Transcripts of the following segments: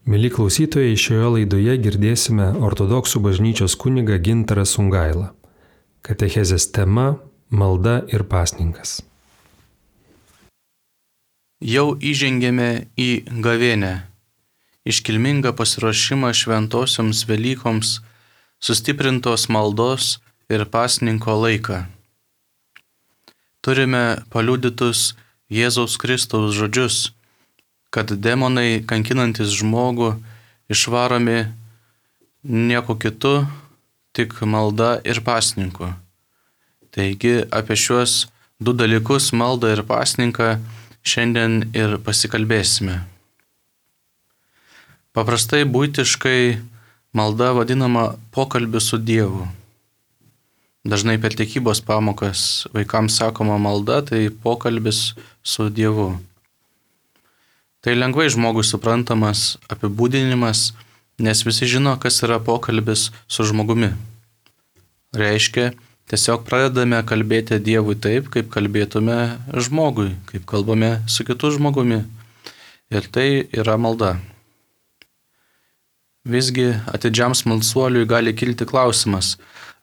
Mieli klausytojai, šioje laidoje girdėsime ortodoksų bažnyčios kunigą Gintarą Sungailą. Katechezės tema – malda ir pasninkas. Jau įžengėme į gavėnią, iškilmingą pasiruošimą šventosioms Velykoms, sustiprintos maldos ir pasninko laiką. Turime paliudytus Jėzaus Kristaus žodžius, kad demonai kankinantis žmogų išvaromi nieko kitu, tik malda ir pasninku. Taigi apie šiuos du dalykus, maldą ir pasninką, šiandien ir pasikalbėsime. Paprastai buitiškai malda vadinama pokalbiu su Dievu. Dažnai per tikybos pamokas vaikams sakoma malda, tai pokalbis su Dievu. Tai lengvai žmogui suprantamas apibūdinimas, nes visi žino, kas yra pokalbis su žmogumi. Reiškia, tiesiog pradedame kalbėti Dievui taip, kaip kalbėtume žmogui, kaip kalbame su kitu žmogumi. Ir tai yra malda. Visgi atidžiam smalsuoliui gali kilti klausimas,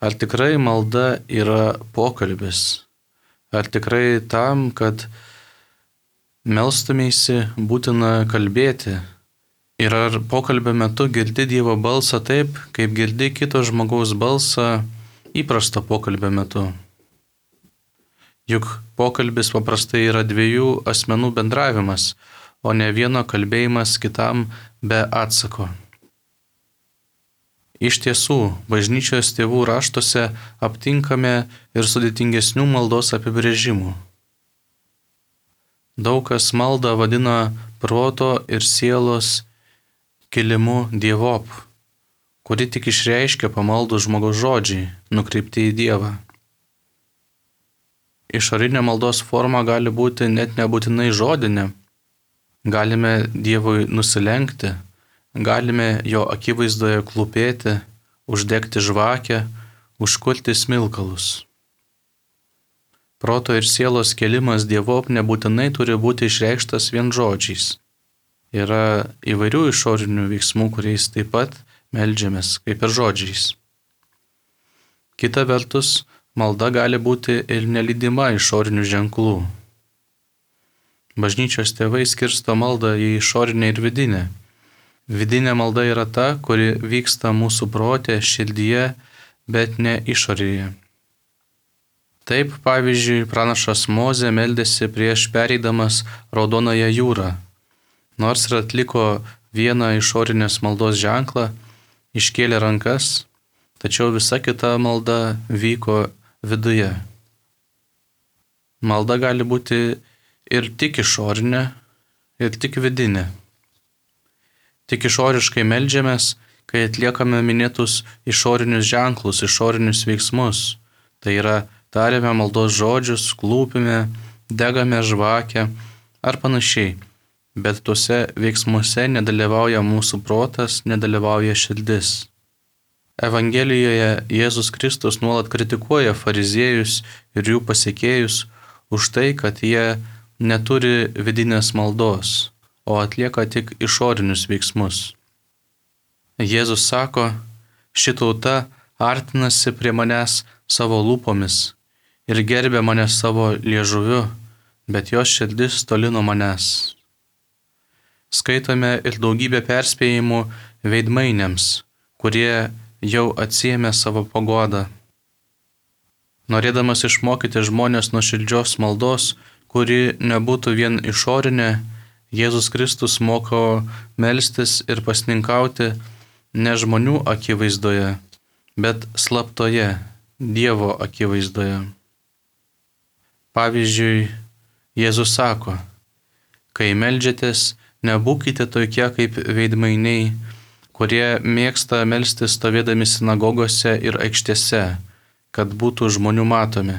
ar tikrai malda yra pokalbis? Ar tikrai tam, kad melstumeisi, būtina kalbėti? Ir ar pokalbio metu girdi Dievo balsą taip, kaip girdi kito žmogaus balsą įprasto pokalbio metu? Juk pokalbis paprastai yra dviejų asmenų bendravimas, o ne vieno kalbėjimas kitam be atsako. Iš tiesų, bažnyčios tėvų raštuose aptinkame ir sudėtingesnių maldos apibrėžimų. Daug kas maldą vadina proto ir sielos kilimu dievop, kuri tik išreiškia pamaldų žmogaus žodžiai, nukreipti į Dievą. Išorinė maldos forma gali būti net nebūtinai žodinė. Galime Dievui nusilenkti, galime jo akivaizdoje klūpėti, uždegti žvakę, užkurti smilkalus. Proto ir sielos kėlimas dievop nebūtinai turi būti išreikštas vien žodžiais. Yra įvairių išorinių veiksmų, kuriais taip pat meldžiamės, kaip ir žodžiais. Kita vertus, malda gali būti ir nelydima išorinių ženklų. Bažnyčios tėvai skirsto maldą į išorinę ir vidinę. Vidinė malda yra ta, kuri vyksta mūsų prote, širdyje, bet ne išorėje. Taip, pavyzdžiui, pranašas Mozė meldėsi prieš pereidamas Raudonąją jūrą. Nors ir atliko vieną išorinės maldos ženklą, iškėlė rankas, tačiau visa kita malda vyko viduje. Malda gali būti ir tik išorinė, ir tik vidinė. Tik išoriškai meldžiamės, kai atliekame minėtus išorinius ženklus, išorinius veiksmus. Tai yra, tariame maldos žodžius, klūpime, degame žvakę ar panašiai, bet tuose veiksmuose nedalyvauja mūsų protas, nedalyvauja širdis. Evangelijoje Jėzus Kristus nuolat kritikuoja fariziejus ir jų pasekėjus už tai, kad jie neturi vidinės maldos, o atlieka tik išorinius veiksmus. Jėzus sako, ši tauta artinasi prie manęs savo lūpomis ir gerbė mane savo liežuviu, bet jos širdis toli nuo manęs. Skaitome ir daugybę perspėjimų veidmainiams, kurie jau atsiėmė savo paguodą. Norėdamas išmokyti žmonės nuoširdžios maldos, kuri nebūtų vien išorinė, Jėzus Kristus moko melstis ir pasninkauti ne žmonių akivaizdoje, bet slaptoje, Dievo akivaizdoje. Pavyzdžiui, Jėzus sako, kai meldžiatės, nebūkite tokie kaip veidmainiai, kurie mėgsta melstis stovėdami sinagogose ir aikštėse, kad būtų žmonių matomi.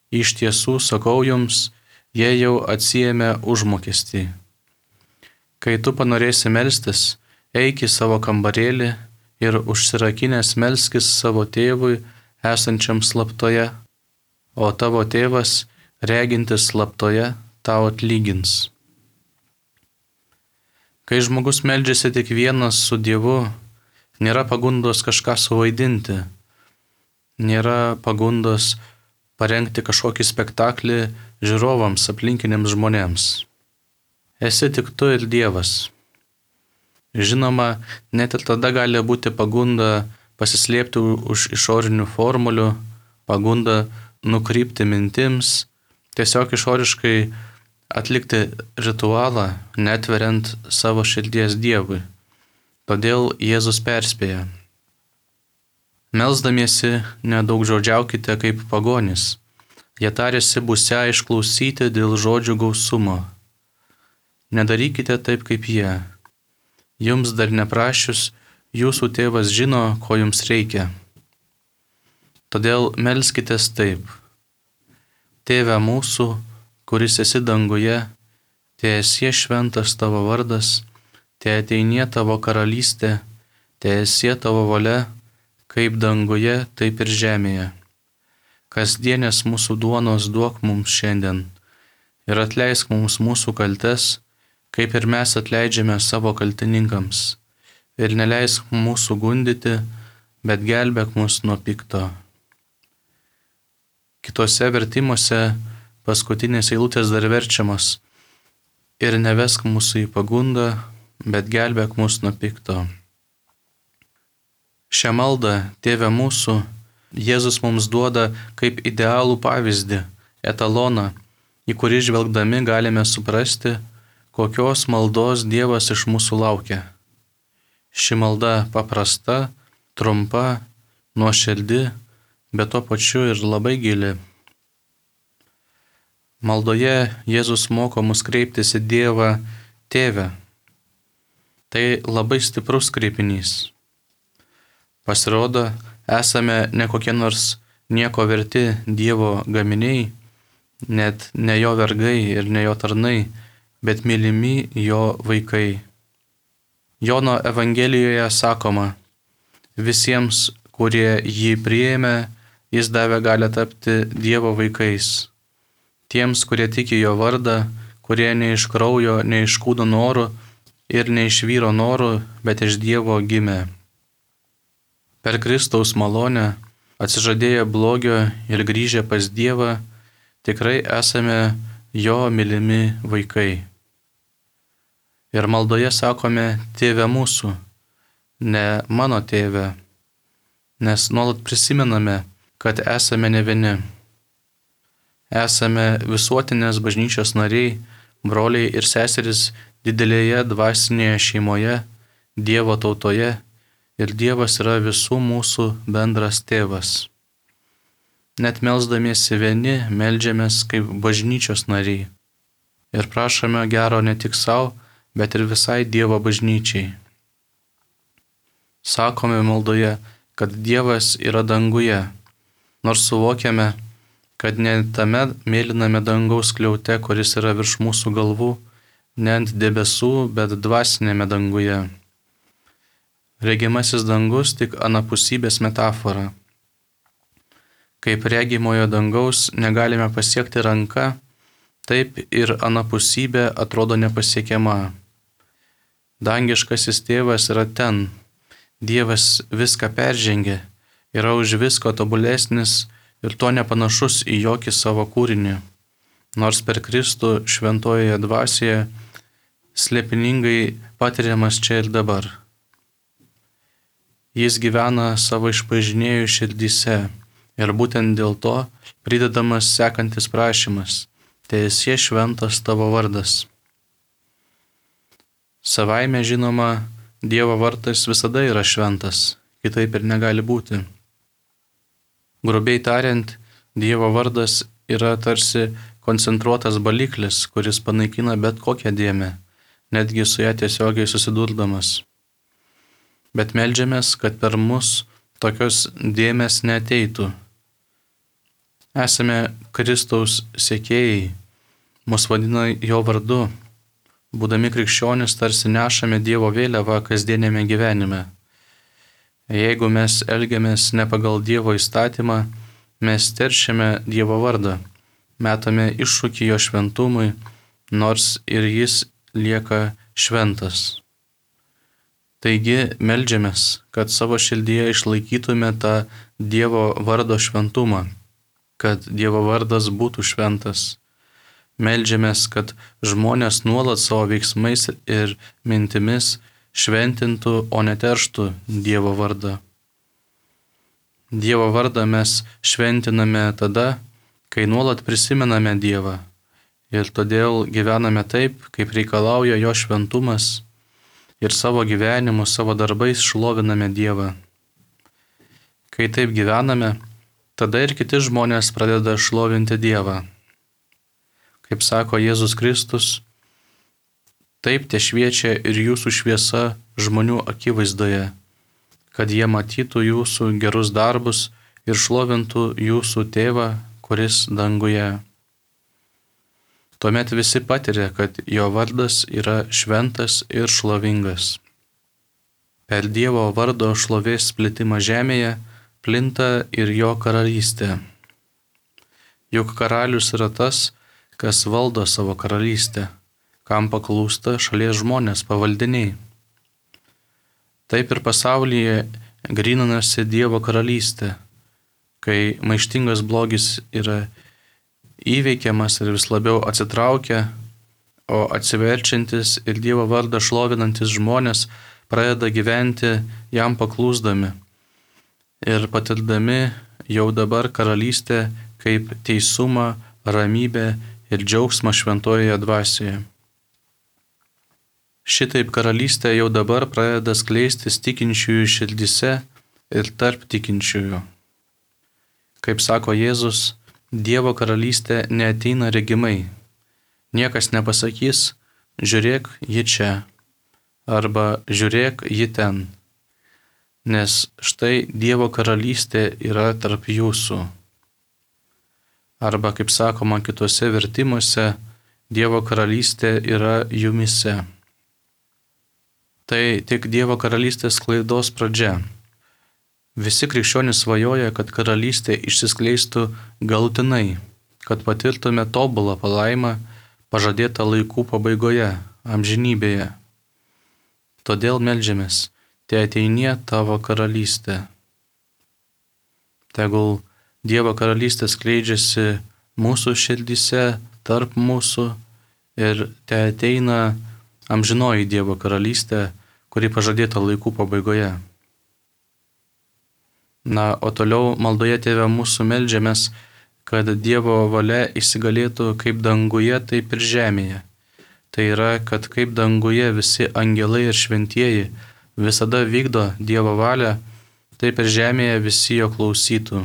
Iš tiesų, sakau jums, jie jau atsiėmė užmokestį. Kai tu panorėsi melstis, eik į savo kambarėlį ir užsirakinęs melskis savo tėvui esančiam slaptoje, o tavo tėvas, regintis slaptoje, tau atlygins. Kai žmogus meldžiasi tik vienas su Dievu, nėra pagundos kažką suvaidinti, nėra pagundos parengti kažkokį spektaklį žiūrovams, aplinkiniams žmonėms. Esi tik tu ir Dievas. Žinoma, net ir tada gali būti pagunda pasislėpti už išorinių formulių, pagunda nukrypti mintims, tiesiog išoriškai atlikti ritualą, netveriant savo širdies Dievui. Todėl Jėzus perspėja. Melsdamiesi nedaugžodžiaukite kaip pagonys. Jie tarėsi būsią išklausyti dėl žodžių gausumo. Nedarykite taip kaip jie. Jums dar neprašius, jūsų tėvas žino, ko jums reikia. Todėl melskitės taip. Tėve mūsų, kuris esi danguje, teesie šventas tavo vardas, teateinie tavo karalystė, teesie tavo valia, kaip danguje, taip ir žemėje. Kasdienės mūsų duonos duok mums šiandien ir atleisk mums mūsų kaltes, kaip ir mes atleidžiame savo kaltininkams. Ir neleisk mūsų gundyti, bet gelbėk mus nuo pikto. Kitose vertimuose paskutinės eilutės dar verčiamos. Ir nevesk mūsų į pagundą, bet gelbėk mus nuo pikto. Šią maldą, Tėve mūsų, Jėzus mums duoda kaip idealų pavyzdį, etaloną, į kurį žvelgdami galime suprasti, kokios maldos Dievas iš mūsų laukia. Ši malda paprasta, trumpa, nuoširdi, bet tuo pačiu ir labai gili. Maldoje Jėzus moko mus kreiptis į Dievą Tėvę. Tai labai stiprus kreipinys. Pasirodo, esame ne kokie nors nieko verti Dievo gaminiai, net ne jo vergai ir ne jo tarnai, bet mylimi jo vaikai. Jono Evangelijoje sakoma, visiems, kurie jį priėmė, jis davė galią tapti Dievo vaikais. Tiems, kurie tiki jo vardą, kurie ne iš kraujo, ne iš kūno norų ir ne iš vyro norų, bet iš Dievo gimė. Per Kristaus malonę, atsižadėję blogio ir grįžę pas Dievą, tikrai esame jo mylimi vaikai. Ir maldoje sakome Tėve mūsų, ne mano tėve, nes nuolat prisimename, kad esame ne vieni. Esame visuotinės bažnyčios nariai, broliai ir seserys didelėje dvasinėje šeimoje, Dievo tautoje, ir Dievas yra visų mūsų bendras tėvas. Net melsdamiesi vieni, meldžiamės kaip bažnyčios nariai ir prašome gero ne tik savo, bet ir visai Dievo bažnyčiai. Sakome maldoje, kad Dievas yra danguje, nors suvokiame, kad ne tame mėlyname dangaus skliaute, kuris yra virš mūsų galvų, ne ant debesų, bet dvasinėme danguje. Regimasis dangus tik anapusybės metafora. Kaip regimojo dangaus negalime pasiekti ranka, taip ir anapusybė atrodo nepasiekiama. Dangiškasis tėvas yra ten, Dievas viską peržengė, yra už visko tobulesnis ir to nepanašus į jokį savo kūrinį, nors per Kristų šventojoje dvasioje slėpiningai patiriamas čia ir dabar. Jis gyvena savo išpažinėjų širdyse ir būtent dėl to pridedamas sekantis prašymas, teesie šventas tavo vardas. Savaime žinoma, Dievo vardas visada yra šventas, kitaip ir negali būti. Grubiai tariant, Dievo vardas yra tarsi koncentruotas baliklis, kuris panaikina bet kokią dėmę, netgi su ją tiesiogiai susidurdamas. Bet meldžiamės, kad per mus tokios dėmės neateitų. Esame Kristaus sekėjai, mus vadina jo vardu. Būdami krikščionis tarsi nešame Dievo vėliavą kasdienėme gyvenime. Jeigu mes elgiamės ne pagal Dievo įstatymą, mes teršiame Dievo vardą, metame iššūkį jo šventumui, nors ir jis lieka šventas. Taigi meldžiamės, kad savo širdyje išlaikytume tą Dievo vardo šventumą, kad Dievo vardas būtų šventas. Meldžiamės, kad žmonės nuolat savo veiksmais ir mintimis šventintų, o neterštų Dievo vardą. Dievo vardą mes šventiname tada, kai nuolat prisimename Dievą ir todėl gyvename taip, kaip reikalauja jo šventumas ir savo gyvenimu, savo darbais šloviname Dievą. Kai taip gyvename, tada ir kiti žmonės pradeda šlovinti Dievą. Kaip sako Jėzus Kristus, taip te šviečia ir jūsų šviesa žmonių akivaizdoje, kad jie matytų jūsų gerus darbus ir šlovintų jūsų Tėvą, kuris danguje. Tuomet visi patiria, kad jo vardas yra šventas ir šlovingas. Per Dievo vardo šlovės plitimą žemėje plinta ir jo karalystė. Juk karalius yra tas, kas valdo savo karalystę, kam paklūsta šalies žmonės pavaldiniai. Taip ir pasaulyje gryninasi Dievo karalystė, kai maištingas blogis yra įveikiamas ir vis labiau atsitraukia, o atsiverčiantis ir Dievo vardą šlovinantis žmonės pradeda gyventi jam paklūsdami ir patirdami jau dabar karalystę kaip teisumą, ramybę ir džiaugsmą šventojoje dvasioje. Šitaip karalystė jau dabar pradeda skleistis tikinčiųjų širdyse ir tarp tikinčiųjų. Kaip sako Jėzus, Dievo karalystė neateina regimai. Niekas nepasakys, žiūrėk, ji čia, arba žiūrėk, ji ten. Nes štai Dievo karalystė yra tarp jūsų. Arba, kaip sakoma kitose vertimuose, Dievo karalystė yra jumise. Tai tik Dievo karalystės sklaidos pradžia. Visi krikščionys svajoja, kad karalystė išsiskleistų galutinai, kad patirtume tobulą palaimą pažadėtą laikų pabaigoje, amžinybėje. Todėl meldžiamės, te ateinie tavo karalystė. Tegul Dievo karalystė skleidžiasi mūsų širdyse, tarp mūsų ir te ateina amžinoji Dievo karalystė, kuri pažadėta laikų pabaigoje. Na, o toliau maldoje Tėve mūsų meldžiamės, kad Dievo valia įsigalėtų kaip danguje, taip ir žemėje. Tai yra, kad kaip danguje visi angelai ir šventieji visada vykdo Dievo valią, taip ir žemėje visi jo klausytų.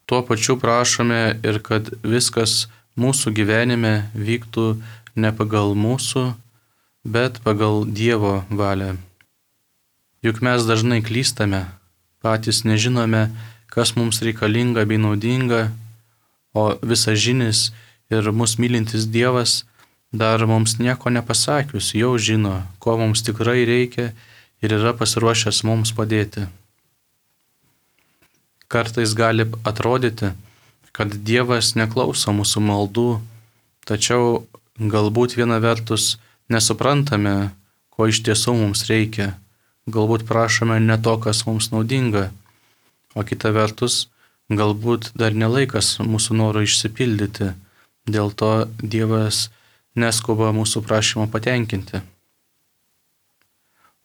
Tuo pačiu prašome ir kad viskas mūsų gyvenime vyktų ne pagal mūsų, bet pagal Dievo valią. Juk mes dažnai klystame, patys nežinome, kas mums reikalinga bei naudinga, o visažinis ir mus mylintis Dievas dar mums nieko nepasakius, jau žino, ko mums tikrai reikia ir yra pasiruošęs mums padėti. Kartais gali atrodyti, kad Dievas neklauso mūsų maldų, tačiau galbūt viena vertus nesuprantame, ko iš tiesų mums reikia. Galbūt prašome ne to, kas mums naudinga, o kita vertus, galbūt dar nelaikas mūsų noro išsipildyti, dėl to Dievas neskuba mūsų prašymą patenkinti.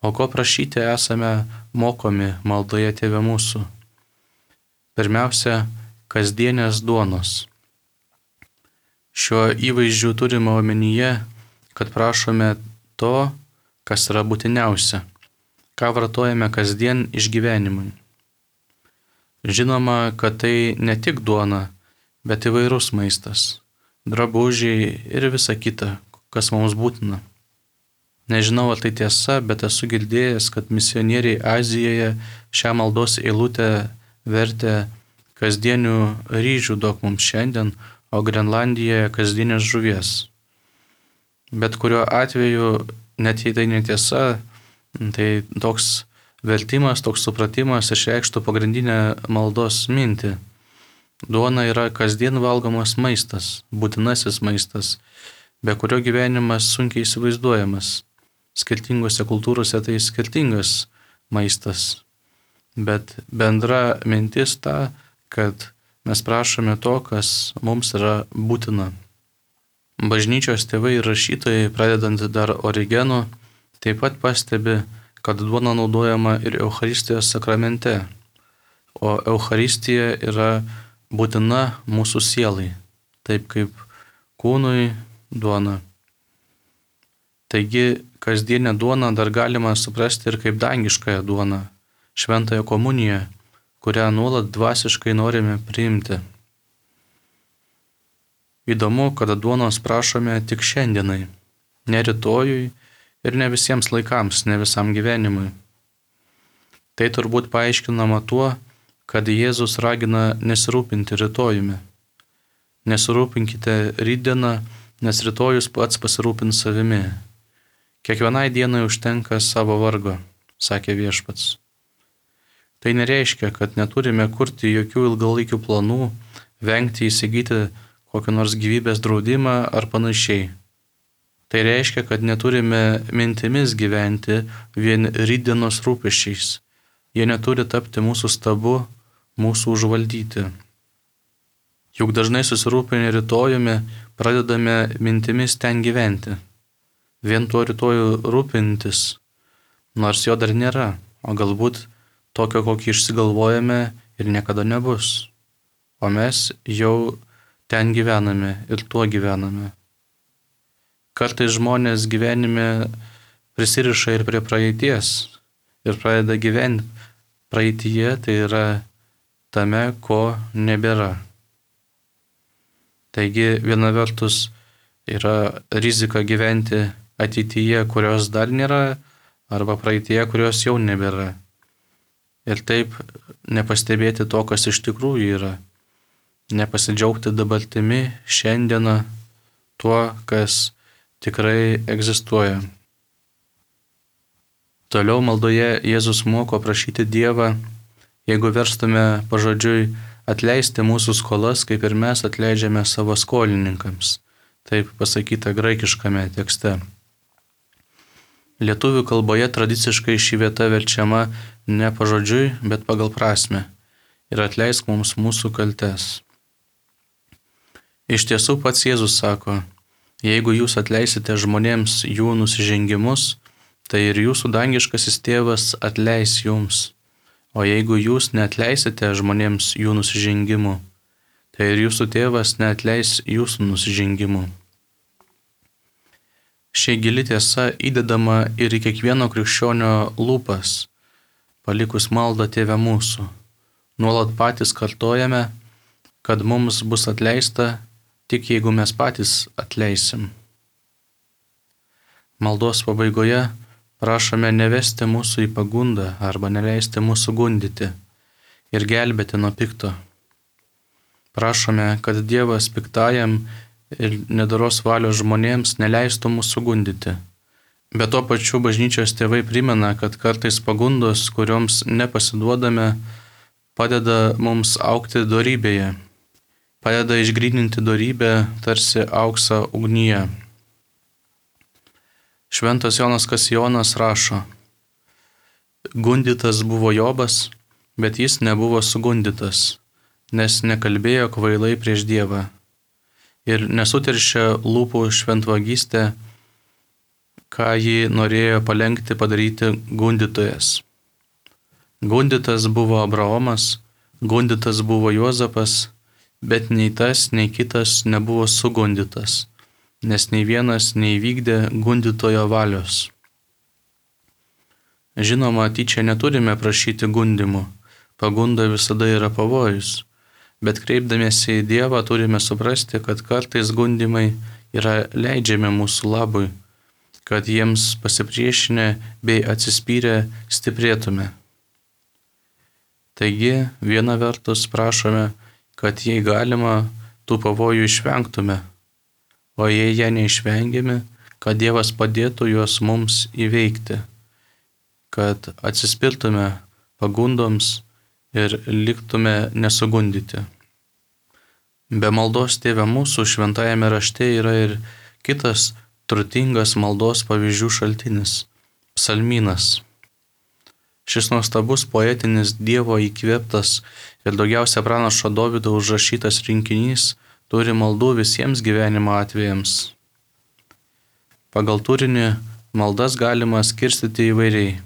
O ko prašyti esame mokomi maldoje Tėve mūsų? Pirmiausia, kasdienės duonos. Šiuo įvaizdžiu turime omenyje, kad prašome to, kas yra būtiniausia, ką vartojame kasdien išgyvenimui. Žinoma, kad tai ne tik duona, bet įvairus maistas, drabužiai ir visa kita, kas mums būtina. Nežinau, ar tai tiesa, bet esu girdėjęs, kad misionieriai Azijoje šią maldos eilutę vertė kasdienių ryžių duok mums šiandien, o Grenlandijoje kasdienės žuvies. Bet kuriuo atveju, net jei tai netiesa, tai toks vertimas, toks supratimas išreikštų pagrindinę maldos mintį. Duona yra kasdien valgomas maistas, būtinasis maistas, be kurio gyvenimas sunkiai įsivaizduojamas. Skirtingose kultūrose tai skirtingas maistas, bet bendra mintis ta, kad mes prašome to, kas mums yra būtina. Bažnyčios tėvai ir rašytojai, pradedant dar Origenu, taip pat pastebi, kad duona naudojama ir Eucharistijos sakramente, o Eucharistija yra būtina mūsų sielai, taip kaip kūnui duona. Taigi, kasdienę duoną dar galima suprasti ir kaip dangiškąją duoną, šventąją komuniją, kurią nuolat dvasiškai norime priimti. Įdomu, kad duonos prašome tik šiandienai, ne rytojui ir ne visiems laikams, ne visam gyvenimui. Tai turbūt paaiškinama tuo, kad Jėzus ragina nesirūpinti rytojumi. Nesirūpinkite rytdieną, nes rytojus pats pasirūpins savimi. Kiekvienai dienai užtenka savo vargo, sakė Viešpats. Tai nereiškia, kad neturime kurti jokių ilgalaikių planų, vengti įsigyti kokį nors gyvybės draudimą ar panašiai. Tai reiškia, kad neturime mintimis gyventi vien rytdienos rūpesčiais. Jie neturi tapti mūsų stabu, mūsų užvaldyti. Juk dažnai susirūpinę rytojumi pradedame mintimis ten gyventi. Vien tuo rytojų rūpintis, nors jo dar nėra, o galbūt tokio, kokį išsigalvojame ir niekada nebus. O mes jau ten gyvename ir tuo gyvename. Kartais žmonės gyvenime prisiriša ir prie praeities ir pradeda gyventi praeityje, tai yra tame, ko nebėra. Taigi viena vertus yra rizika gyventi ateityje, kurios dar nėra, arba praeityje, kurios jau nebėra. Ir taip nepastebėti to, kas iš tikrųjų yra. Nepasidžiaugti dabartimi, šiandieną, tuo, kas tikrai egzistuoja. Toliau maldoje Jėzus moko prašyti Dievą, jeigu verstume pažodžiui, atleisti mūsų skolas, kaip ir mes atleidžiame savo skolininkams. Taip pasakyta graikiškame tekste. Lietuvių kalboje tradiciškai ši vieta verčiama ne pažodžiui, bet pagal prasmę. Ir atleisk mums mūsų kaltes. Iš tiesų pats Jėzus sako, jeigu jūs atleisite žmonėms jų nusižengimus, tai ir jūsų dangiškasis tėvas atleis jums. O jeigu jūs neatleisite žmonėms jų nusižengimų, tai ir jūsų tėvas neatleis jūsų nusižengimų. Ši gili tiesa įdedama ir į kiekvieno krikščionio lūpas, palikus maldą Tėve mūsų. Nuolat patys kartojame, kad mums bus atleista, tik jeigu mes patys atleisim. Maldos pabaigoje prašome nevesti mūsų į pagundą arba neleisti mūsų gundyti ir gelbėti nuo pikto. Prašome, kad Dievas piktajam ir nedoros valios žmonėms neleistų mūsų gundyti. Bet tuo pačiu bažnyčios tėvai primena, kad kartais pagundos, kurioms nepasiduodame, padeda mums augti dorybėje. Padeda išgryninti dorybę tarsi auksą ugnyje. Šventas Jonas Kasijonas rašo, gundytas buvo Jobas, bet jis nebuvo sugundytas, nes nekalbėjo kvailai prieš Dievą ir nesuteršė lūpų šventvagystę, ką jį norėjo palenkti padaryti gundytojas. Gundytas buvo Abraomas, gundytas buvo Juozapas, bet nei tas, nei kitas nebuvo sugundytas, nes nei vienas neįvykdė gundytojo valios. Žinoma, tyčia neturime prašyti gundymų, pagunda visada yra pavojus, bet kreipdamiesi į Dievą turime suprasti, kad kartais gundymai yra leidžiami mūsų labui, kad jiems pasipriešinę bei atsispyrę stiprėtume. Taigi, viena vertus prašome, kad jei galima, tų pavojų išvengtume, o jei jie neišvengiami, kad Dievas padėtų juos mums įveikti, kad atsispirtume pagundoms ir liktume nesugundyti. Be maldos Tėve mūsų šventajame rašte yra ir Kitas turtingas maldos pavyzdžių šaltinis – psalmynas. Šis nuostabus poetinis Dievo įkvėptas ir daugiausia pranašo Dovydo užrašytas rinkinys turi maldų visiems gyvenimo atvejams. Pagal turinį maldas galima skirstyti įvairiai.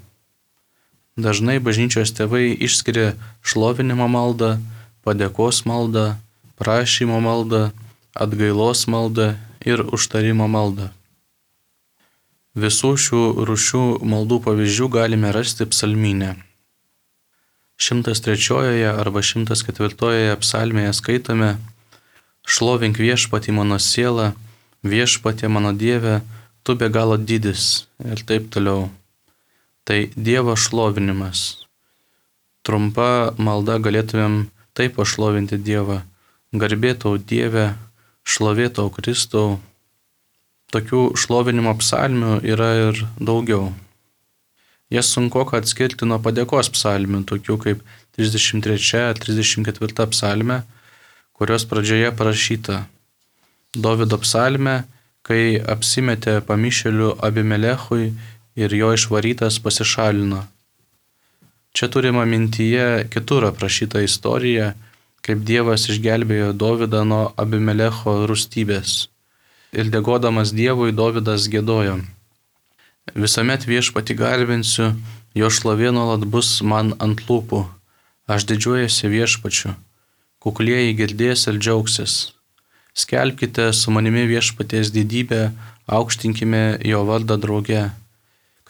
Dažnai bažnyčios tėvai išskiria šlovinimo maldą, padėkos maldą, prašymo maldą, atgailos maldą ir užtarimo maldą. Visų šių rūšių maldų pavyzdžių galime rasti psalmyne. 103 arba 104 psalmėje skaitome: Šlovink viešpatį mano siela, viešpatie mano Dieve, tu be galo didis ir taip toliau. Tai Dievo šlovinimas. Trumpa malda galėtumėm taip pašlovinti Dievą: Garbė tau Dieve, šlovė tau Kristau. Tokių šlovinimo psalmių yra ir daugiau. Jas sunkoka atskirti nuo padėkos psalmių, tokių kaip 33-34 psalmė, kurios pradžioje parašyta: Dovydo psalmė, kai apsimetė pamišėliu Abimelechui ir jo išvarytas pasišalino. Čia turima mintyje kitur aprašyta istorija, kaip Dievas išgelbėjo Dovydą nuo Abimelecho rūstybės. Ir dėkodamas Dievui Dovydas giedojo: Visuomet viešpatį garbinsiu, jo šlovė nuolat bus man ant lūpų. Aš didžiuojasi viešpačiu, kuklieji girdės ir džiaugsis. Skelbkite su manimi viešpaties didybę, aukštinkime jo vardą drauge.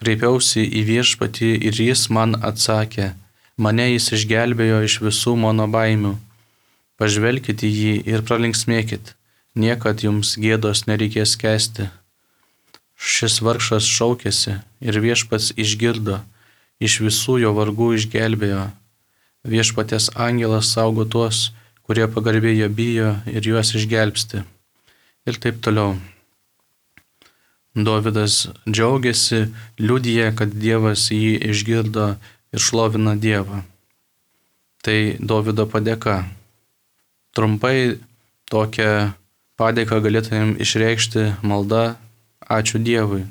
Kreipiausi į viešpatį ir jis man atsakė, mane jis išgelbėjo iš visų mano baimių. Pažvelkite į jį ir pralinksmėkit. Niekad jums gėdos nereikės kęsti. Šis vargšas šaukėsi ir viešpats išgirdo, iš visų jo vargų išgelbėjo. Viešpaties angelas saugo tuos, kurie pagarbiai jo bijo ir juos išgelbsti. Ir taip toliau. Dovydas džiaugiasi, liudija, kad Dievas jį išgirdo ir šlovina Dievą. Tai Dovydo padėka. Trumpai tokią padėką galėtumėm išreikšti malda ačiū Dievui.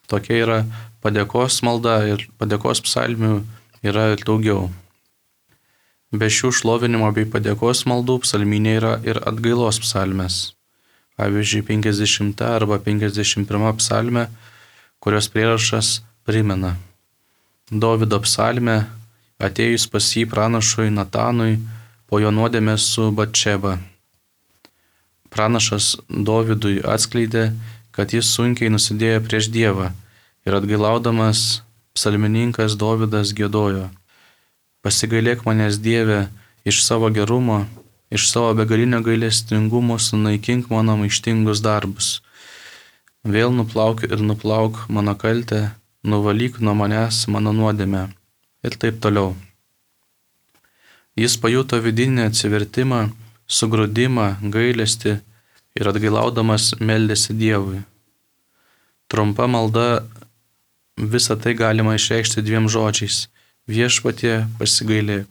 Tokia yra padėkos malda ir padėkos psalmių yra ir daugiau. Be šių šlovinimo bei padėkos maldų psalmynė yra ir atgailos psalmės. Pavyzdžiui, 50 arba 51 psalmė, kurios prierašas primena: Dovydo psalmė, atėjus pas jį pranašui Natanui po jo nuodėmės su Batšeba. Pranašas Dovydui atskleidė, kad jis sunkiai nusidėjo prieš Dievą ir atgailaudamas psalmininkas Dovydas giedojo: Pasigailėk manęs Dieve, iš savo gerumo, iš savo begalinio gailestingumo sunaikink mano maištingus darbus. Vėl nuplauk ir nuplauk mano kaltę, nuvalyk nuo manęs mano nuodėmę. Ir taip toliau. Jis pajuto vidinį atsivertimą, sugrūdimą, gailestį ir atgailaudamas meldėsi Dievui. Trumpa malda visą tai galima išreikšti dviem žodžiais: Viešpatie, pasigailėk.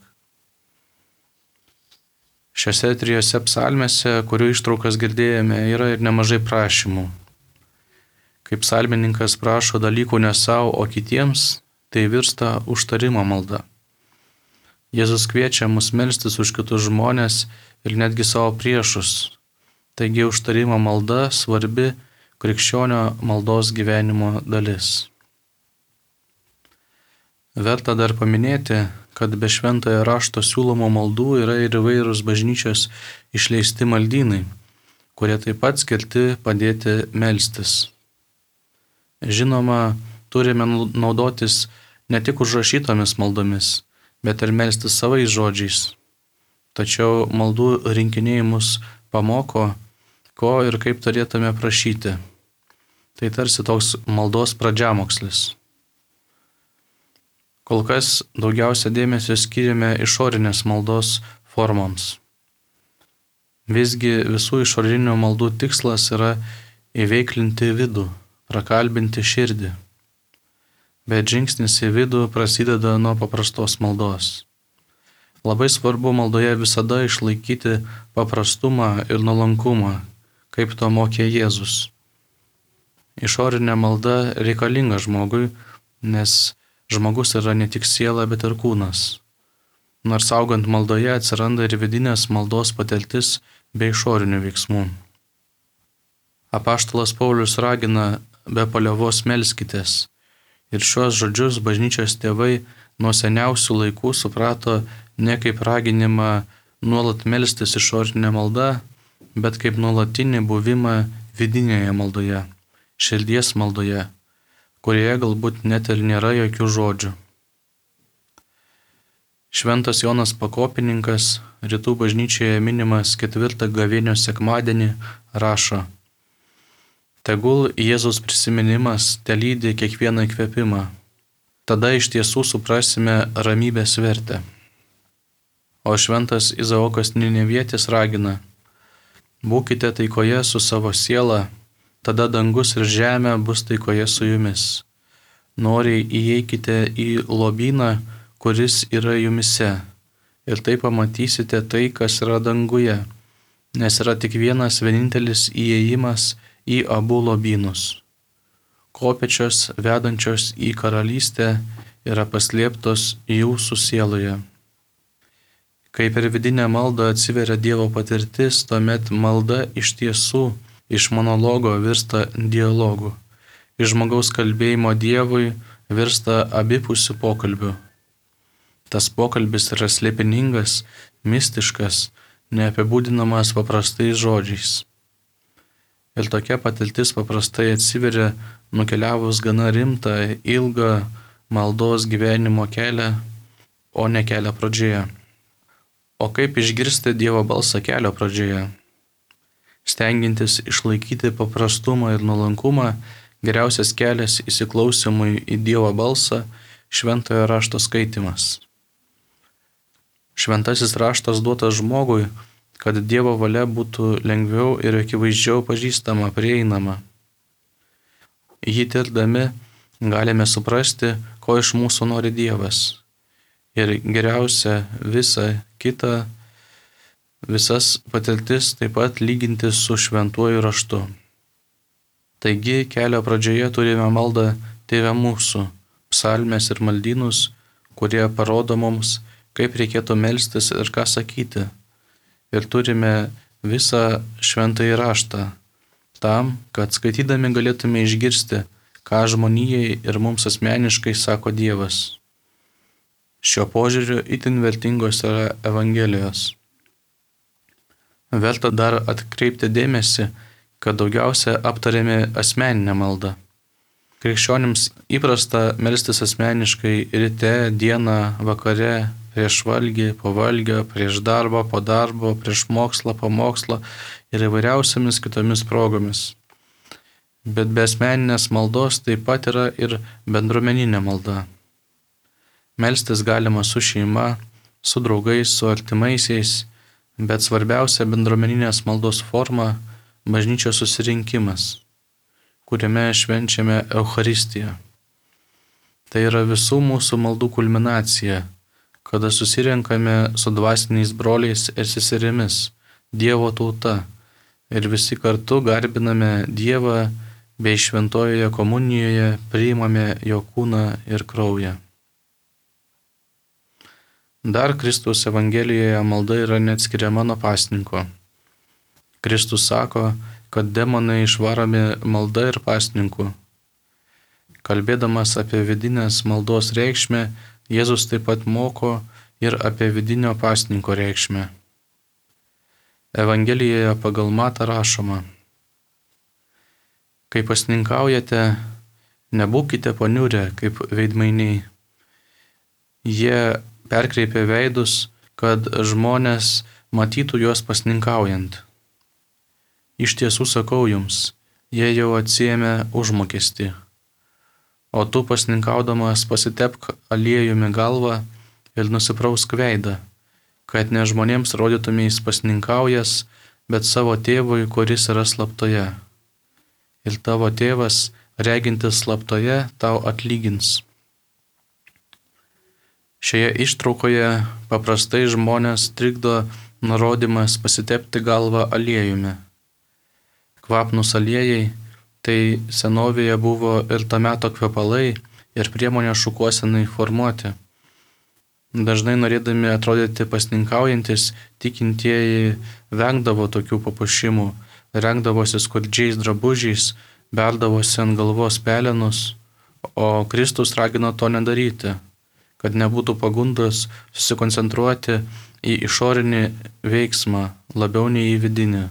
Šiose trijose psalmėse, kurių ištraukas girdėjome, yra ir nemažai prašymų. Kaip psalmininkas prašo dalykų ne savo, o kitiems, tai virsta užtarimo malda. Jėzus kviečia mus melstis už kitus žmonės ir netgi savo priešus. Taigi užtarimo malda svarbi krikščionio maldos gyvenimo dalis. Verta dar paminėti, kad be šventojo rašto siūlomų maldų yra ir įvairūs bažnyčios išleisti maldynai, kurie taip pat skirti padėti melstis. Žinoma, turime naudotis ne tik užrašytomis maldomis, bet ir melstis savais žodžiais. Tačiau maldų rinkiniai mus pamoko, ko ir kaip turėtume prašyti. Tai tarsi toks maldos pradžiamokslis. Kol kas daugiausia dėmesio skiriame išorinės maldos formoms. Visgi visų išorinių maldų tikslas yra įveiklinti vidų, prakalbinti širdį. Bet žingsnis į vidų prasideda nuo paprastos maldos. Labai svarbu maldoje visada išlaikyti paprastumą ir nuolankumą, kaip to mokė Jėzus. Išorinė malda reikalinga žmogui, nes žmogus yra ne tik siela, bet ir kūnas. Nors augant maldoje atsiranda ir vidinės maldos patirtis bei išorinių veiksmų. Apaštalas Paulius ragina be paliovos melskitės. Ir šiuos žodžius bažnyčios tėvai nuo seniausių laikų suprato ne kaip raginimą nuolat melstis išorinė malda, bet kaip nuolatinį buvimą vidinėje maldoje, širdies maldoje, kurioje galbūt net ir nėra jokių žodžių. Šventas Jonas Pakopininkas, rytų bažnyčioje minimas 4 gavėnios sekmadienį, rašo: Tegul Jėzaus prisiminimas telydi kiekvieną įkvėpimą. Tada iš tiesų suprasime ramybės vertę. O šventas Izaokas Ninevietis ragina: Būkite taikoje su savo siela, tada dangus ir žemė bus taikoje su jumis. Noriai įeikite į lobyną, kuris yra jumise, ir tai pamatysite tai, kas yra danguje, nes yra tik vienas vienintelis įėjimas į abu lobynus. Kopėčios vedančios į karalystę yra paslėptos jūsų sieloje. Kai per vidinę maldą atsiveria Dievo patirtis, tuomet malda iš tiesų iš monologo virsta dialogu. Iš žmogaus kalbėjimo Dievui virsta abipusiu pokalbiu. Tas pokalbis yra slėpiningas, mistiškas, neapibūdinamas paprastais žodžiais. Ir tokia patirtis paprastai atsiveria nukeliavus gana rimtą, ilgą maldos gyvenimo kelią, o ne kelio pradžioje. O kaip išgirsti Dievo balsą kelio pradžioje? Stengiantis išlaikyti paprastumą ir nuolankumą, geriausias kelias įsiklausimui į Dievo balsą - šventojo rašto skaitimas. Šventasis raštas duotas žmogui, kad Dievo valia būtų lengviau ir akivaizdžiau pažįstama, prieinama. Jį tirdami galime suprasti, ko iš mūsų nori Dievas. Ir geriausia visas patirtis taip pat lyginti su šventuoju raštu. Taigi kelio pradžioje turime maldą Tėve mūsų, psalmes ir maldynus, kurie parodo mums, kaip reikėtų melstis ir ką sakyti. Ir turime visą šventąjį raštą, tam, kad skaitydami galėtume išgirsti, ką žmonijai ir mums asmeniškai sako Dievas. Šio požiūriu itin vertingos yra Evangelijos. Verta dar atkreipti dėmesį, kad daugiausia aptarėme asmeninę maldą. Krikščionims įprasta melstis asmeniškai ryte, dieną, vakare, prieš valgį, po valgio, prieš darbą, po darbo, prieš mokslą, po mokslo ir įvairiausiamis kitomis progomis. Bet be asmeninės maldos taip pat yra ir bendruomeninė malda. Melstis galima su šeima, su draugais, su artimaisiais, bet svarbiausia bendruomeninės maldos forma - bažnyčios susirinkimas, kuriame švenčiame Eucharistiją. Tai yra visų mūsų maldų kulminacija, kada susirenkame su dvasiniais broliais ir seserimis, Dievo tauta, ir visi kartu garbiname Dievą bei šventojoje komunijoje priimame jo kūną ir kraują. Dar Kristaus Evangelijoje malda yra neatskiriama nuo pasninko. Kristus sako, kad demonai išvaromi malda ir pasninku. Kalbėdamas apie vidinės maldos reikšmę, Jėzus taip pat moko ir apie vidinio pasninko reikšmę. Evangelijoje pagal Matą rašoma: Kai pasninkaujate, nebūkite paniurę kaip veidmainiai. Jie perkreipė veidus, kad žmonės matytų juos pasninkaujant. Iš tiesų sakau jums, jie jau atsiėmė užmokestį. O tu pasninkaudamas pasitepk aliejumi galvą ir nusiprausk veidą, kad ne žmonėms rodytumės pasninkaujas, bet savo tėvui, kuris yra slaptoje. Ir tavo tėvas, regintis slaptoje, tau atlygins. Šioje ištraukoje paprastai žmonės trikdo nurodymas pasitepti galvą aliejumi. Kvapnūs aliejai Tai senovėje buvo ir to meto kvepalai ir priemonė šukuosenai formuoti. Dažnai norėdami atrodyti pasninkaujantis, tikintieji vengdavo tokių papuošimų, rengdavosi skurdžiais drabužiais, berdavosi ant galvos pelenus, o Kristus ragino to nedaryti, kad nebūtų pagundos susikoncentruoti į išorinį veiksmą labiau nei į vidinį.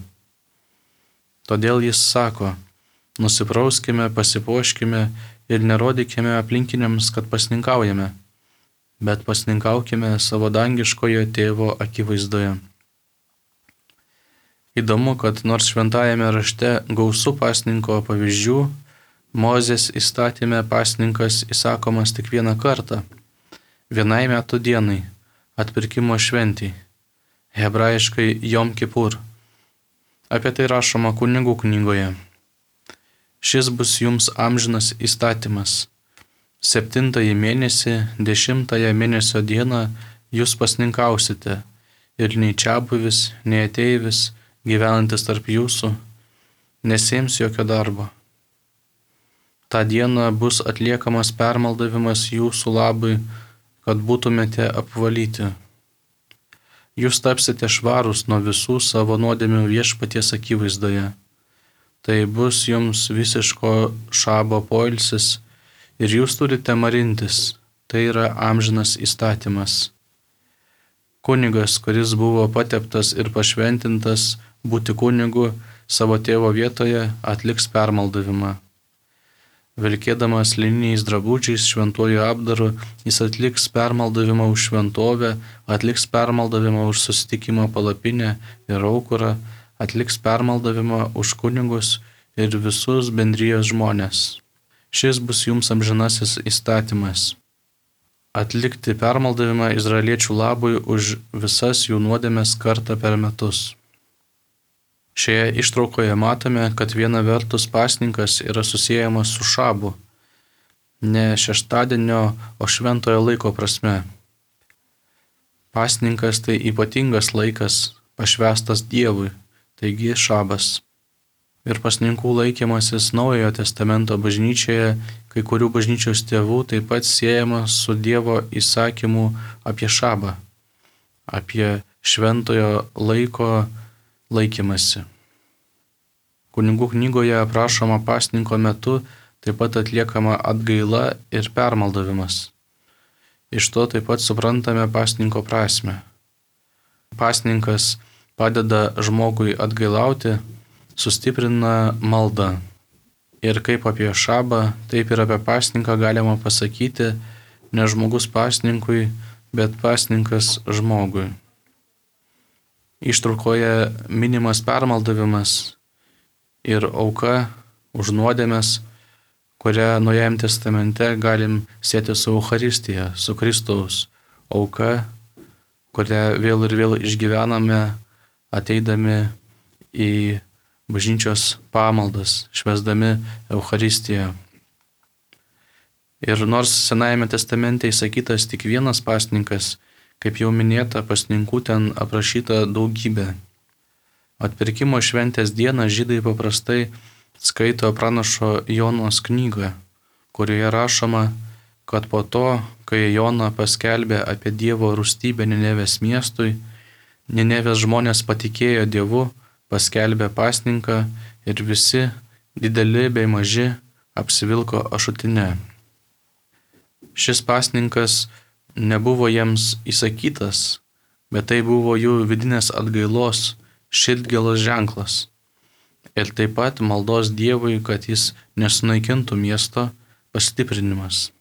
Todėl jis sako, nusiprauskime, pasipuoškime ir nerodykime aplinkiniams, kad pasninkaujame, bet pasninkaukime savo dangiškojo tėvo akivaizdoje. Įdomu, kad nors šventajame rašte gausu pasninko pavyzdžių, Mozės įstatyme pasninkas įsakomas tik vieną kartą, vienai metų dienai, atpirkimo šventei, hebrajiškai Jom Kipur. Apie tai rašoma Kunigų knygoje. Šis bus jums amžinas įstatymas. 7 mėnesį, 10 mėnesio dieną jūs pasninkausite ir nei čiabuvis, nei ateivis, gyvenantis tarp jūsų, nesėms jokio darbo. Ta diena bus atliekamas permaldavimas jūsų labui, kad būtumėte apvalyti. Jūs tapsite švarūs nuo visų savo nuodėmių viešpaties akivaizdoje. Tai bus jums visiško šabo poilsis ir jūs turite marintis, tai yra amžinas įstatymas. Kunigas, kuris buvo pateptas ir pašventintas būti kunigu savo tėvo vietoje, atliks permaldavimą. Vilkėdamas lininiais drabužiais šventuoju apdaru, jis atliks permaldavimą už šventovę, atliks permaldavimą už susitikimo palapinę ir aukurą, atliks permaldavimą už kunigus ir visus bendrijos žmonės. Šis bus jums amžinasis įstatymas. Atlikti permaldavimą izraeliečių labui už visas jų nuodėmes kartą per metus. Šioje ištraukoje matome, kad viena vertus pasninkas yra susiejamas su šabu, ne šeštadienio, o šventojo laiko prasme. Pasninkas tai ypatingas laikas, pašvęstas Dievui, taigi šabas. Ir pasninkų laikymasis Naujojo testamento bažnyčioje, kai kurių bažnyčios tėvų taip pat siejamas su Dievo įsakymu apie šabą, apie šventojo laiko laikymasi. Kunigų knygoje aprašoma pasninko metu taip pat atliekama atgaila ir permaldavimas. Iš to taip pat suprantame pasninko prasme. Pasninkas padeda žmogui atgailauti, sustiprina maldą. Ir kaip apie šabą, taip ir apie pasninką galima pasakyti, ne žmogus pasninkui, bet pasninkas žmogui. Ištraukoje minimas permaldavimas ir auka už nuodėmes, kurią Naujajame testamente galim sieti su Eucharistija, su Kristaus auka, kurią vėl ir vėl išgyvename, ateidami į bažnyčios pamaldas, švęsdami Eucharistiją. Ir nors Senajame testamente įsakytas tik vienas pasninkas, kaip jau minėta, pasninkų ten aprašyta daugybė. Atpirkimo šventės dieną žydai paprastai skaito pranašo Jonos knygą, kurioje rašoma, kad po to, kai Jona paskelbė apie Dievo rūstybę Ninevės miestui, Ninevės žmonės patikėjo Dievu, paskelbė pasninką ir visi, dideli bei maži, apsivilko ašutinę. Šis pasninkas nebuvo jiems įsakytas, bet tai buvo jų vidinės atgailos, širdgėlos ženklas. Ir taip pat maldos Dievui, kad jis nesunaikintų miesto, pastiprinimas.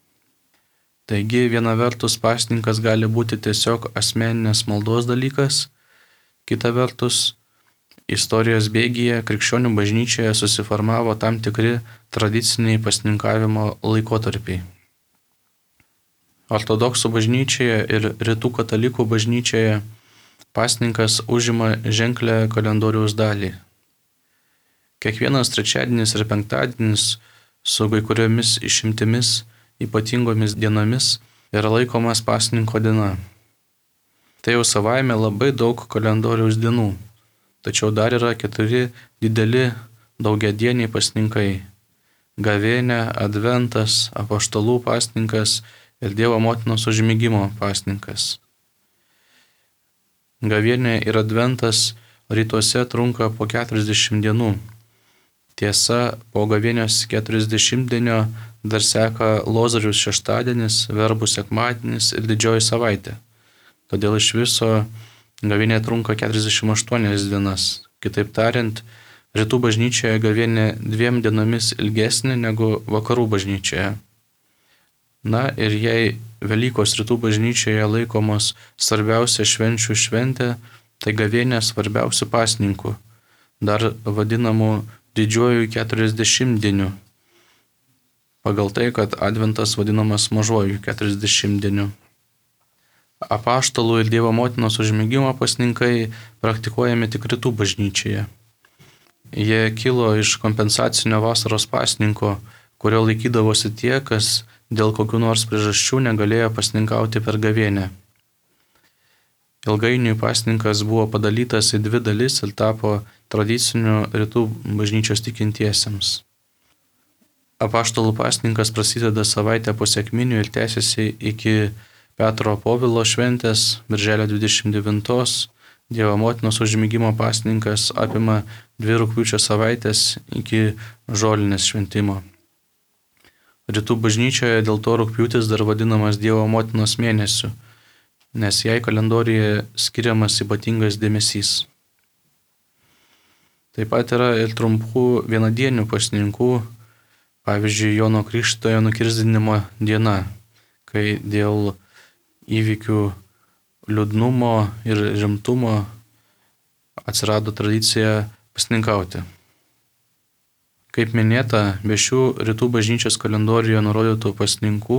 Taigi viena vertus pasninkas gali būti tiesiog asmeninės maldos dalykas, kita vertus istorijos bėgyje krikščionių bažnyčioje susiformavo tam tikri tradiciniai pasninkavimo laikotarpiai. Ortodoksų bažnyčioje ir rytų katalikų bažnyčioje pasninkas užima ženklę kalendoriaus dalį. Kiekvienas trečiadienis ir penktadienis su kai kuriomis išimtimis ypatingomis dienomis yra laikomas pasninko diena. Tai jau savaime labai daug kalendoriaus dienų, tačiau dar yra 4 dideli daugiadieniai pasninkai gavėnia, adventas, apaštalų pasninkas ir Dievo motinos užmigimo pasninkas. Gavėnia ir adventas rytuose trunka po 40 dienų. Tiesa, po gavėnios 40-dienio dar seka Lozoriaus šeštadienis, verbų sekmadienis ir didžioji savaitė. Todėl iš viso gavėnė trunka 48 dienas. Kitaip tariant, rytų bažnyčioje gavėnė 2 dienomis ilgesnė negu vakarų bažnyčioje. Na ir jei Velykos rytų bažnyčioje laikomos svarbiausia švenčių šventė, tai gavėnė svarbiausių pasninkų, dar vadinamų didžiuoju 40-dieniu, pagal tai, kad adventas vadinamas mažuoju 40-dieniu. Apaštalų ir Dievo motinos užmigimo pasninkai praktikuojami tik rytų bažnyčioje. Jie kilo iš kompensacinio vasaros pasninko, kurio laikydavosi tie, kas dėl kokių nors priežasčių negalėjo pasninkauti per gavėnę. Ilgainiui pasninkas buvo padalytas į 2 dalis ir tapo tradiciniu rytų bažnyčios tikintiesiems. Apaštalų pasninkas prasideda savaitę po sekminių ir tęsiasi iki Petro Povilo šventės, birželio 29. Dievo motinos užmigimo pasninkas apima 2 rugpjūčio savaitės iki žolinės šventimo. Rytų bažnyčioje dėl to rugpjūtis dar vadinamas Dievo motinos mėnesiu, nes jai kalendorijoje skiriamas ypatingas dėmesys. Taip pat yra ir trumpų vienadienių pasninkų, pavyzdžiui, Jono Krikštytojo nukirsdinimo diena, kai dėl įvykių liūdnumo ir rimtumo atsirado tradicija pasninkauti. Kaip minėta, be šių rytų bažnyčios kalendorijoje nurodytų pasninkų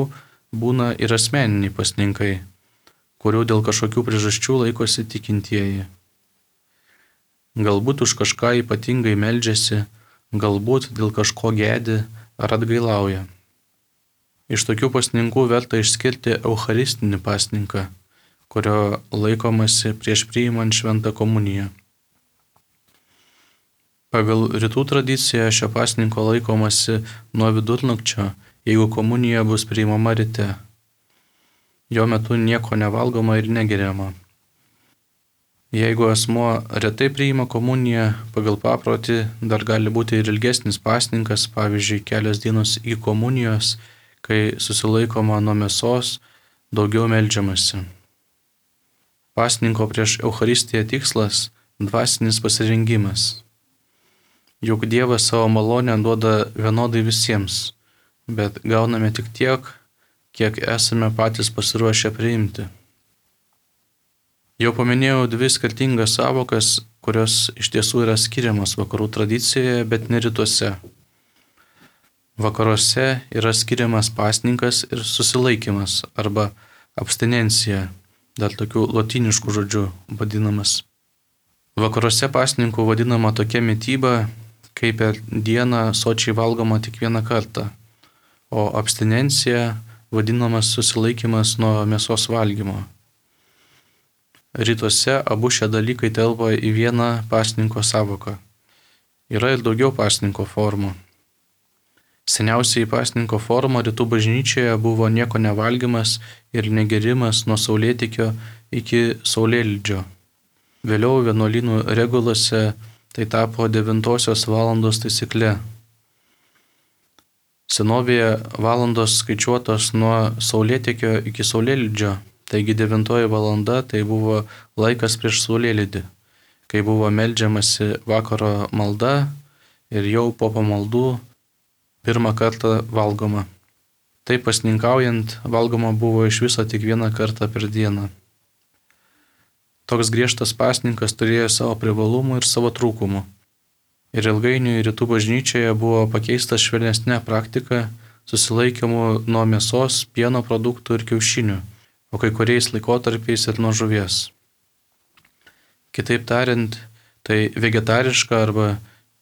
būna ir asmeniniai pasninkai, kurių dėl kažkokių priežasčių laikosi tikintieji. Galbūt už kažką ypatingai meldžiasi, galbūt dėl kažko gedi ar atgailauja. Iš tokių pasninkų verta išskirti eucharistinį pasninką, kurio laikomasi prieš priimant šventą komuniją. Pagal rytų tradiciją šio pasninko laikomasi nuo vidurnakčio, jeigu komunija bus priimama ryte. Jo metu nieko nevalgoma ir negeriama. Jeigu asmuo retai priima komuniją, pagal paprotį dar gali būti ir ilgesnis pasninkas, pavyzdžiui, kelios dienos iki komunijos, kai susilaikoma nuo mėsos, daugiau meldžiamasi. Pasninko prieš Eucharistiją tikslas – dvasinis pasirengimas. Juk Dievas savo malonę duoda vienodai visiems, bet gauname tik tiek, kiek esame patys pasiruošę priimti. Jau paminėjau 2 skirtingas savokas, kurios iš tiesų yra skiriamas vakarų tradicijoje, bet ne rytuose. Vakaruose yra skiriamas pasninkas ir susilaikymas arba abstinencija, dar tokių lotyniškų žodžių vadinamas. Vakaruose pasninku vadinama tokia mityba, kai per dieną sočiai valgoma tik 1 kartą, o abstinencija vadinamas susilaikymas nuo mėsos valgymo. Rytuose abu šie dalykai telpa į vieną pasninko savoką. Yra ir daugiau pasninko formų. Seniausiai pasninko forma rytų bažnyčioje buvo nieko nevalgymas ir negerimas nuo saulėtekio iki saulėlydžio. Vėliau vienuolynų regulose tai tapo 9 valandos taisykle. Senovėje valandos skaičiuotos nuo saulėtekio iki saulėlydžio, taigi 9 valanda tai buvo laikas prieš saulėlydį, kai buvo meldžiamasi vakaro malda ir jau po pamaldų 1 kartą valgoma. Taip pasninkaujant valgoma buvo iš viso tik 1 kartą per dieną. Toks griežtas pasninkas turėjo savo privalumų ir savo trūkumų. Ir ilgainiui rytų bažnyčioje buvo pakeista švelnesnė praktika susilaikymu nuo mėsos, pieno produktų ir kiaušinių, o kai kuriais laikotarpiais ir nuo žuvies. Kitaip tariant, tai vegetariška arba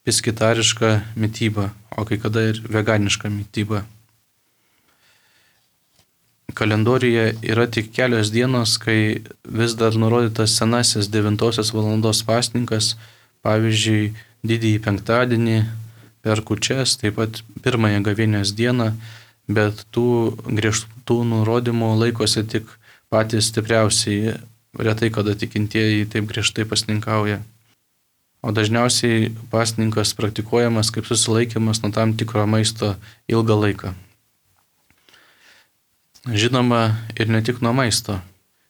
piskitariška mityba, o kai kada ir veganiška mityba. Kalendorijoje yra tik kelios dienos, kai vis dar nurodytas senasis 9 valandos pasninkas, pavyzdžiui, didįjį penktadienį, per kūčias, taip pat pirmąją gavėnios dieną, bet tų griežtų nurodymų laikosi tik patys stipriausiai, retai kada tikintieji taip griežtai pasninkauja. O dažniausiai pasninkas praktikuojamas kaip susilaikymas nuo tam tikro maisto ilgą laiką. Žinoma, ir ne tik nuo maisto.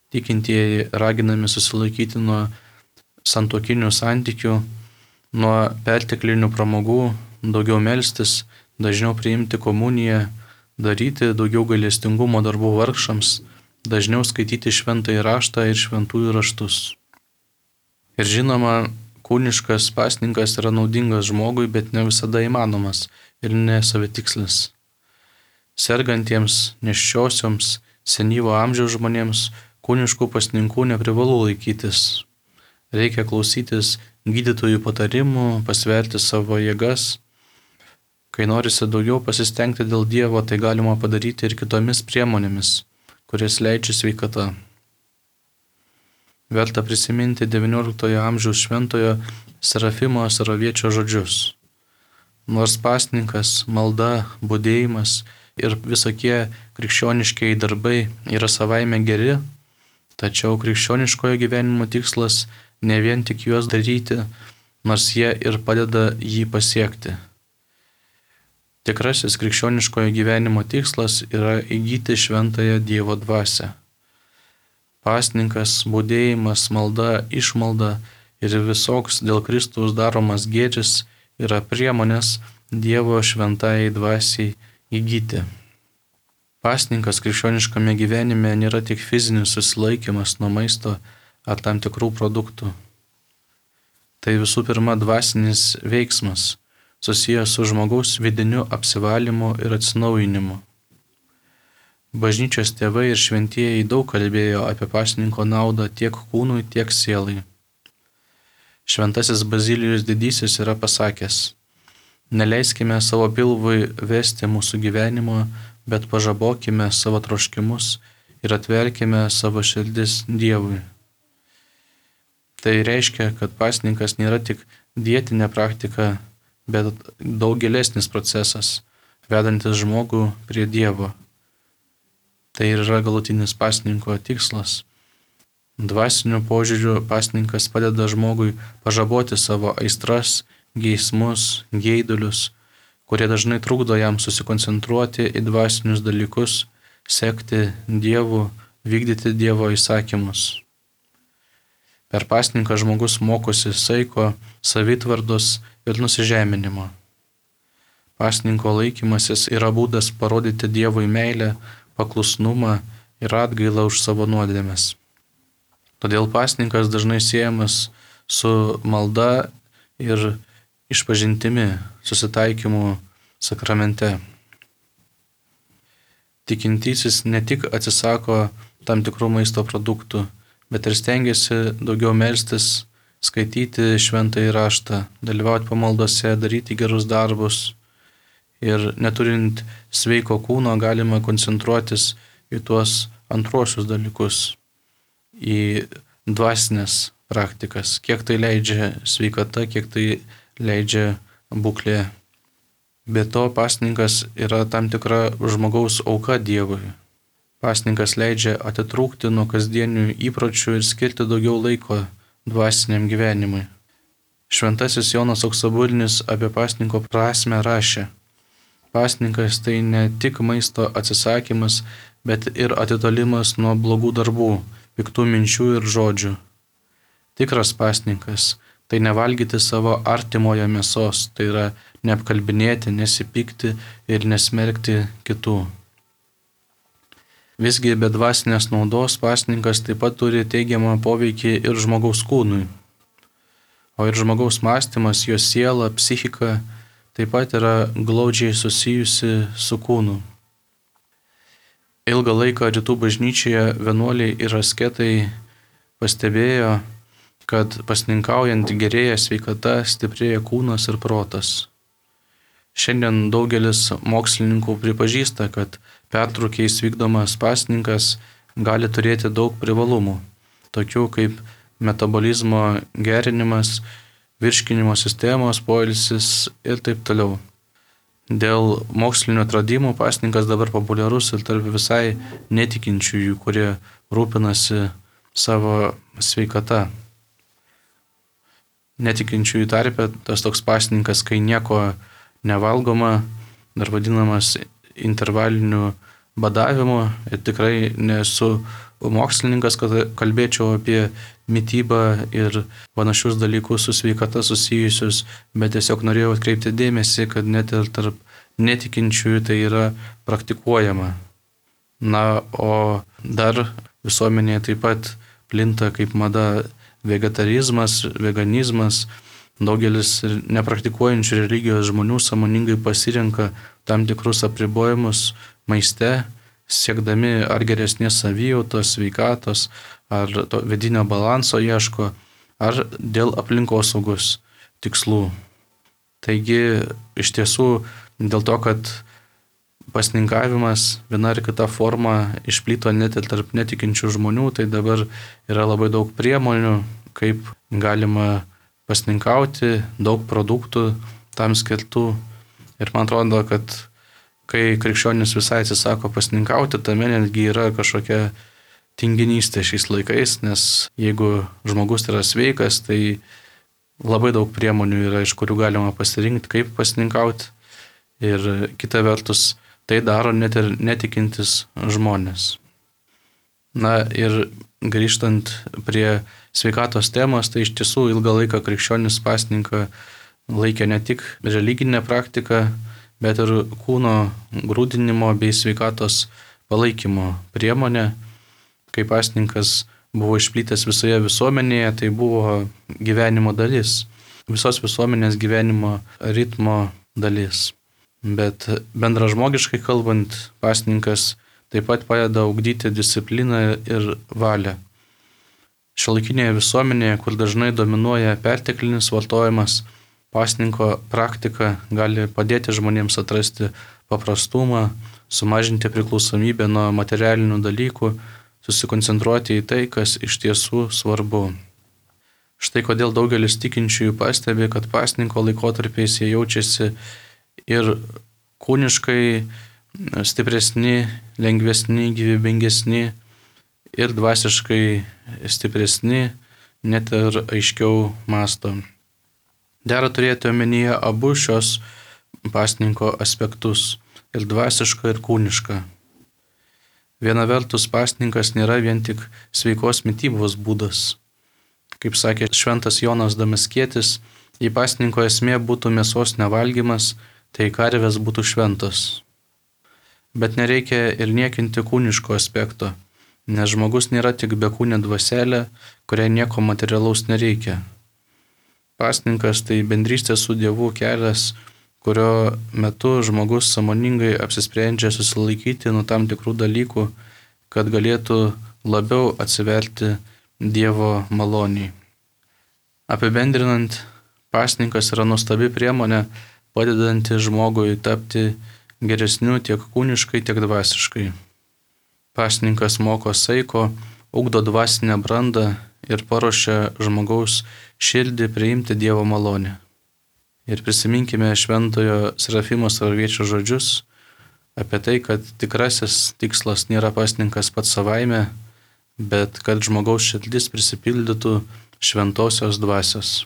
Tikintieji raginami susilaikyti nuo santuokinių santykių, nuo perteklinių pramogų, daugiau melstis, dažniau priimti komuniją, daryti daugiau gailestingumo darbų vargšams, dažniau skaityti šventąjį raštą ir šventųjų raštus. Ir žinoma, kūniškas pasninkas yra naudingas žmogui, bet ne visada įmanomas ir nesavitikslis. Sergantiems, nėščiosioms, senyvo amžiaus žmonėms kūniškų pasninkų neprivalu laikytis. Reikia klausytis gydytojų patarimų, pasverti savo jėgas. Kai norisi daugiau pasistengti dėl Dievo, tai galima padaryti ir kitomis priemonėmis, kurias leidžia sveikata. Verta prisiminti XIX amžiaus šventojo Serafimo Saraviečio žodžius. Nors pasninkas, malda, budėjimas ir visokie krikščioniškiai darbai yra savaime geri, tačiau krikščioniškojo gyvenimo tikslas ne vien tik juos daryti, nors jie ir padeda jį pasiekti. Tikrasis krikščioniškojo gyvenimo tikslas yra įgyti šventąją Dievo dvasią. Pasninkas, budėjimas, malda, išmalda ir visoks dėl Kristaus daromas gėris yra priemonės Dievo šventajai dvasiai įgyti. Pasninkas krikščioniškame gyvenime nėra tik fizinis susilaikymas nuo maisto ar tam tikrų produktų. Tai visų pirma dvasinis veiksmas, susijęs su žmogaus vidiniu apsivalymu ir atsinaujinimu. Bažnyčios tėvai ir šventieji daug kalbėjo apie pasninko naudą tiek kūnui, tiek sielai. Šventasis Bazilijus Didysis yra pasakęs: neleiskime savo pilvui vesti mūsų gyvenimo, bet pažabokime savo troškimus ir atverkime savo širdis Dievui. Tai reiškia, kad pasninkas nėra tik dietinė praktika, bet daug gilesnis procesas, vedantis žmogų prie Dievo. Tai yra galutinis pasninko tikslas. Dvasiniu požiūriu pasninkas padeda žmogui pažaboti savo aistras, geismus, geidulius, kurie dažnai trukdo jam susikoncentruoti į dvasinius dalykus, sekti Dievu, vykdyti Dievo įsakymus. Per pasninką žmogus mokosi saiko, savitvardos ir nusižeminimo. Pasninko laikymasis yra būdas parodyti Dievui meilę, paklusnumą ir atgailą už savo nuodėmes. Todėl pasninkas dažnai siejamas su malda ir išpažintimi, susitaikymu sakramente. Tikintysis ne tik atsisako tam tikrų maisto produktų, bet ir stengiasi daugiau melstis, skaityti šventąjį raštą, dalyvauti pamaldose, daryti gerus darbus. Ir neturint sveiko kūno galima koncentruotis į tuos antruosius dalykus, į dvasinės praktikas, kiek tai leidžia sveikata, kiek tai leidžia būklė. Be to, pasninkas yra tam tikra žmogaus auka Dievui. Pasninkas leidžia atitrūkti nuo kasdienių įpročių ir skirti daugiau laiko dvasiniam gyvenimui. Šventasis Jonas Auksaburinis apie pasninko prasmę rašė: pasninkas tai ne tik maisto atsisakymas, bet ir atitolimas nuo blogų darbų, piktų minčių ir žodžių. Tikras pasninkas tai nevalgyti savo artimojo mėsos, tai yra neapkalbinėti, nesipykti ir nesmerkti kitų. Visgi be dvasinės naudos pasninkas taip pat turi teigiamą poveikį ir žmogaus kūnui. O ir žmogaus mąstymas, jo siela, psichika taip pat yra glaudžiai susijusi su kūnu. Ilgą laiką rytų bažnyčioje vienuoliai ir asketai pastebėjo, kad pasninkaujant gerėja sveikata, stiprėja kūnas ir protas. Šiandien daugelis mokslininkų pripažįsta, kad pertrūkiais vykdomas pasninkas gali turėti daug privalumų, tokių kaip metabolizmo gerinimas, virškinimo sistemos, poilsis ir taip toliau. Dėl mokslinio atradimų pasninkas dabar populiarus ir tarp visai netikinčiųjų, kurie rūpinasi savo sveikata. Netikinčiųjų tarpe tas toks pasninkas, kai nieko nevalgoma, dar vadinamas intervaliniu badavimu. Ir tikrai nesu mokslininkas, kad kalbėčiau apie mitybą ir panašius dalykus su sveikata susijusius, bet tiesiog norėjau atkreipti dėmesį, kad net ir tarp netikinčiųjų tai yra praktikuojama. Na, o dar visuomenėje taip pat plinta kaip mada vegetarizmas, veganizmas. Daugelis nepraktikuojančių religijos žmonių sąmoningai pasirenka tam tikrus apribojimus maiste, siekdami ar geresnės savijautos, sveikatos, ar to vidinio balanso ieško, ar dėl aplinkosaugos tikslų. Taigi, iš tiesų, dėl to, kad pasninkavimas viena ar kita forma išplito net ir tarp netikinčių žmonių, tai dabar yra labai daug priemonių, kaip galima pasninkauti, daug produktų tam skirtų. Ir man atrodo, kad kai krikščionis visai atsisako pasninkauti, tame netgi yra kažkokia tinginystė šiais laikais, nes jeigu žmogus yra sveikas, tai labai daug priemonių yra, iš kurių galima pasirinkti, kaip pasninkauti. Ir kita vertus, tai daro net ir netikintis žmonės. Na ir grįžtant prie sveikatos temos, tai iš tiesų ilgą laiką krikščionis pasninką laikė ne tik religinę praktiką, bet ir kūno grūdinimo bei sveikatos palaikymo priemonė. Kai pasninkas buvo išplitęs visoje visuomenėje, tai buvo gyvenimo dalis, visos visuomenės gyvenimo ritmo dalis. Bet bendražmogiškai kalbant, pasninkas taip pat padeda ugdyti discipliną ir valią. Šiuolaikinėje visuomenėje, kur dažnai dominuoja perteklinis vartojimas, pasninko praktika gali padėti žmonėms atrasti paprastumą, sumažinti priklausomybę nuo materialinių dalykų, susikoncentruoti į tai, kas iš tiesų svarbu. Štai kodėl daugelis tikinčiųjų pastebi, kad pasninko laikotarpiais jie jaučiasi ir kūniškai stipresni, lengvesni, gyvybingesni ir dvasiškai stipresni, net ir aiškiau mąsto. Dera turėti omenyje abu šios pasninko aspektus - ir dvasišką, ir kūnišką. Viena vertus, pasninkas nėra vien tik sveikos mitybos būdas. Kaip sakė šventas Jonas Damaskietis, jei pasninko esmė būtų mėsos nevalgymas, tai karvės būtų šventos. Bet nereikia ir niekinti kūniško aspekto, nes žmogus nėra tik bekūnė dvaselė, kuriai nieko materialaus nereikia. Pasninkas tai bendrystė su Dievu kelias, kurio metu žmogus sąmoningai apsisprendžia susilaikyti nuo tam tikrų dalykų, kad galėtų labiau atsiverti Dievo maloniai. Apibendrinant, pasninkas yra nuostabi priemonė, padedanti žmogui tapti geresniu tiek kūniškai, tiek dvasiškai. Pasninkas moko saiko, ugdo dvasinę brandą ir paruošia žmogaus širdį priimti Dievo malonę. Ir prisiminkime šventojo Serafimo Sarviečio žodžius apie tai, kad tikrasis tikslas nėra pasninkas pats savaime, bet kad žmogaus širdis prisipildytų šventosios dvasios.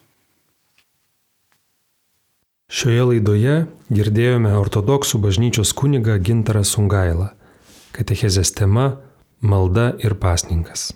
Šioje laidoje girdėjome ortodoksų bažnyčios kunigą Gintarą Sungailą. Katechezės tema - malda ir pasninkas.